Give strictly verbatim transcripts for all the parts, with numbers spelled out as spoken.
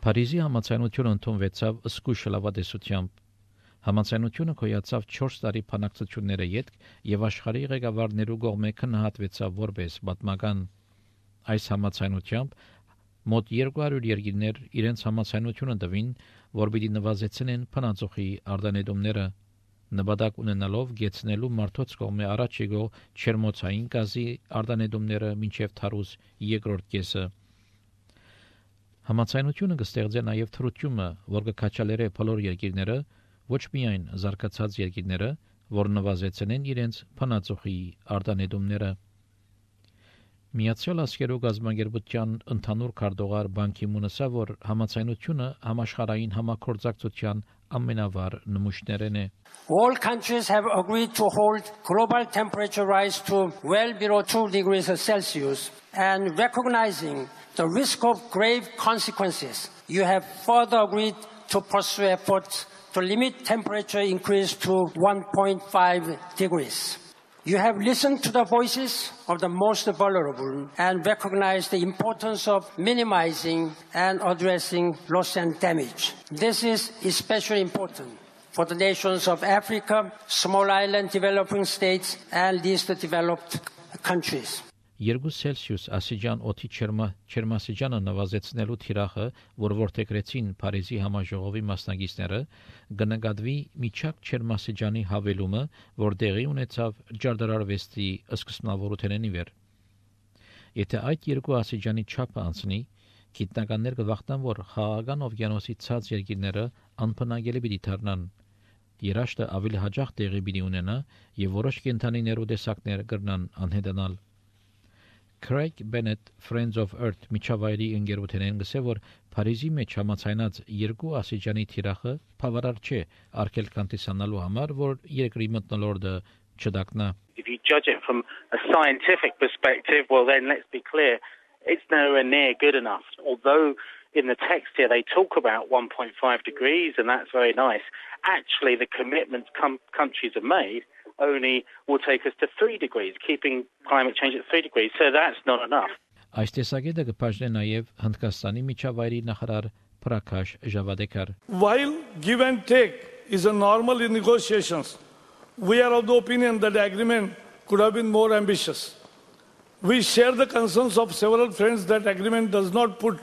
Փարիզի համաձայնությունը ընդունվեցավ զգույշ լավադեսությամբ։ Համաձայնությունը կոյացավ չորս տարի բանակցությունները յետք եւ աշխարհի ղեկավարներու կողմէ քննադատվեցավ որպես պատմական։ Այս համաձայնությամբ մոտ երկու հարյուր երկիրներ իրենց համաձայնությունը տվին, որ պիտի նվազեցնեն փնածոխի արտանետումները, նպատակ ունենալով գեցնելու մարդոց կողմէ առաջ եկող չերմոցային գազի արտանետումները մինչև թարուզ երկրորդ կեսը։ Համաձայնությունը կստեղծե նաև թրությունը, որ կքաջալերե բոլոր երկիրները, ոչ միայն զարգացած երկիրները, որ նվազեցնեն իրենց փնածոխի արտանետումները։ Միացյալ Աշխարհի գազམ་ագերբության ընդհանուր քարտուղար Բան Կի-մունը ասա, որ համաձայնությունը համաշխարհային համագործակցության ամենավառ նմուշներն է։ All countries have agreed to hold global temperature rise to well below two degrees Celsius and recognizing the risk of grave consequences. You have further agreed to pursue efforts to limit temperature increase to one point five degrees. You have listened to the voices of the most vulnerable and recognized the importance of minimizing and addressing loss and damage. This is especially important for the nations of Africa, small island developing states, and least developed countries. Երկու Celsius ասիջան օդի չերմասիջանը նվազեցնելու թիրախը, որ որթեգրեցին Փարիզի համաժողովի մասնակիցները, կնկատվի միջակ չերմասիջանի հավելումը, որ տեղի ունեցավ ջարդարարվեստի սկզբնավորությունն ի վեր։ Եթե այդ երկու ասիջանի չափը անցնի, գիտնականներ կվախտան, որ խաղաղական օվկիանոսի ցած երկիրները անբնակելի պիտի դառնան։ Երաշտը ավելի հաջող տեղի պիտի ունենա եւ որոշ կենդանիներու տեսակներ կրնան անհետանալ։ Craig Bennett Friends of Earth միջավայրի ընկերությունեն գսե, որ Փարիզի մեջ համաձայնած երկու ասիջանի թիրախը բավարար չէ արկելքան տեսանալու համար, որ երկրի մթնոլորտը չդակնա։ If you judge it from a scientific perspective, well then let's be clear, it's nowhere near good enough. Although in the text here they talk about one point five degrees and that's very nice, actually the commitments com- countries have made only will take us to three degrees, keeping climate change at three degrees. So that's not enough. Այս տեսակետը կբաժնե նաև Հնդկաստանի միջավայրի նախարար Prakash Javadekar. While give and take is a normal in negotiations, we are of the opinion that the agreement could have been more ambitious. We share the concerns of several friends that agreement does not put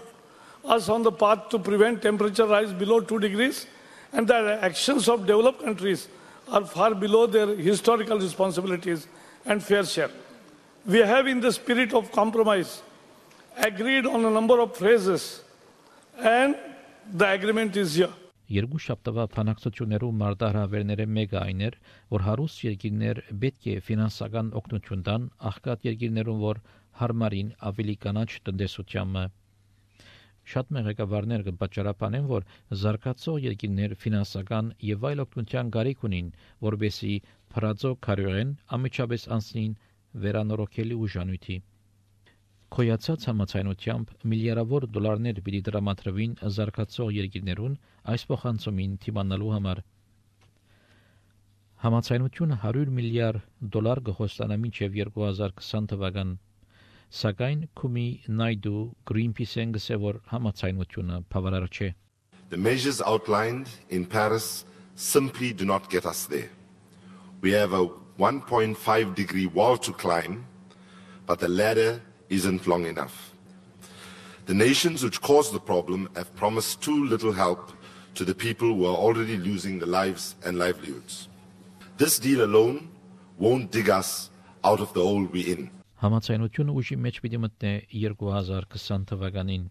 us on the path to prevent temperature rise below two degrees and that the actions of developed countries are far below their historical responsibilities and fair share. We have, in the spirit of compromise, agreed on a number of phrases, and the agreement is here. Երկու շաբթվա բանակցություններու մարտահրավերները մեկը այն էր, որ հարուստ երկիրներ պետք է ֆինանսական օգնություն տան աղքատ երկիրներուն, որ հարմարին ավելի կանաչ տնտեսությամը։ Շատ մեղեկավարներ կպատճառաբանեն, որ զարգացող երկիրներ ֆինանսական եւ այլ օգնության կարիք ունին, որբեսի փրածո կարողեն ամիջապես անցնին վերանորոգելի ուժանույթի։ Կոյացած համաձայնությամբ միլիարդավոր դոլարներ պիտի դրամատրվին զարգացող երկիրներուն այս փոխանցումին թիմանալու համար։ Համաձայնությունը հարյուր միլիարդ դոլար կխոստանա մինչև երկու հազար քսան թվական։ Սակայն Քումի Նայդու Greenpeace-ն գսե, որ համաձայնությունը բավարար չէ։ The measures outlined in Paris simply do not get us there. We have a one point five degree wall to climb, but the ladder isn't long enough. The nations which caused the problem have promised too little help to the people who are already losing their lives and livelihoods. This deal alone won't dig us out of the hole we're in. Համաձայնությունը ուժի մեջ պիտի մտնե երկու հազար քսան թվականին։